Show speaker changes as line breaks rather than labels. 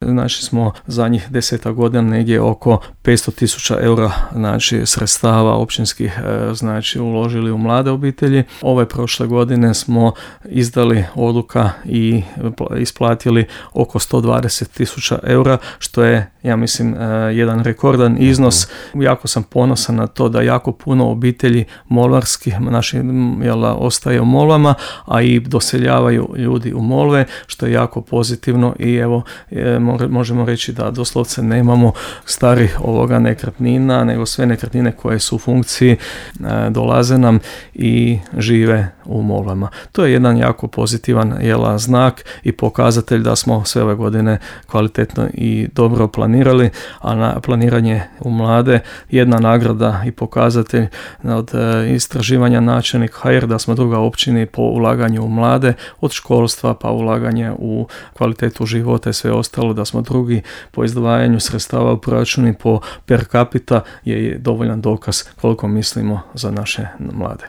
Znači smo zadnjih 10 godina negdje oko 500.000 eura znači sredstava općinskih znači uložili u mlade obitelji. Ove prošle godine smo izdali odluka i isplatili oko 120.000 eura, što je, ja mislim, jedan rekordan iznos. Jako sam ponosan na to da jako puno obitelji molvarskih naših ostaje u Molvama, a i doseljavaju ljudi u Molve, što je jako pozitivno i evo možemo reći da doslovce nemamo starih nekretnina, nego sve nekretnine koje su u funkciji dolaze nam i žive u Molvama. To je jedan jako pozitivan znak i pokazatelj da smo sve ove godine kvalitetno i dobro planirali, a na planiranje u mlade jedna nagrada i pokazatelj od istraživanja načelnik HR da smo druga općini po ulaganju u mlade, od školstva pa ulaganje u kvalitetu života i sve ostalo, da smo drugi po izdvajanju sredstava u proračuni po per capita je dovoljan dokaz koliko mislimo za naše mlade.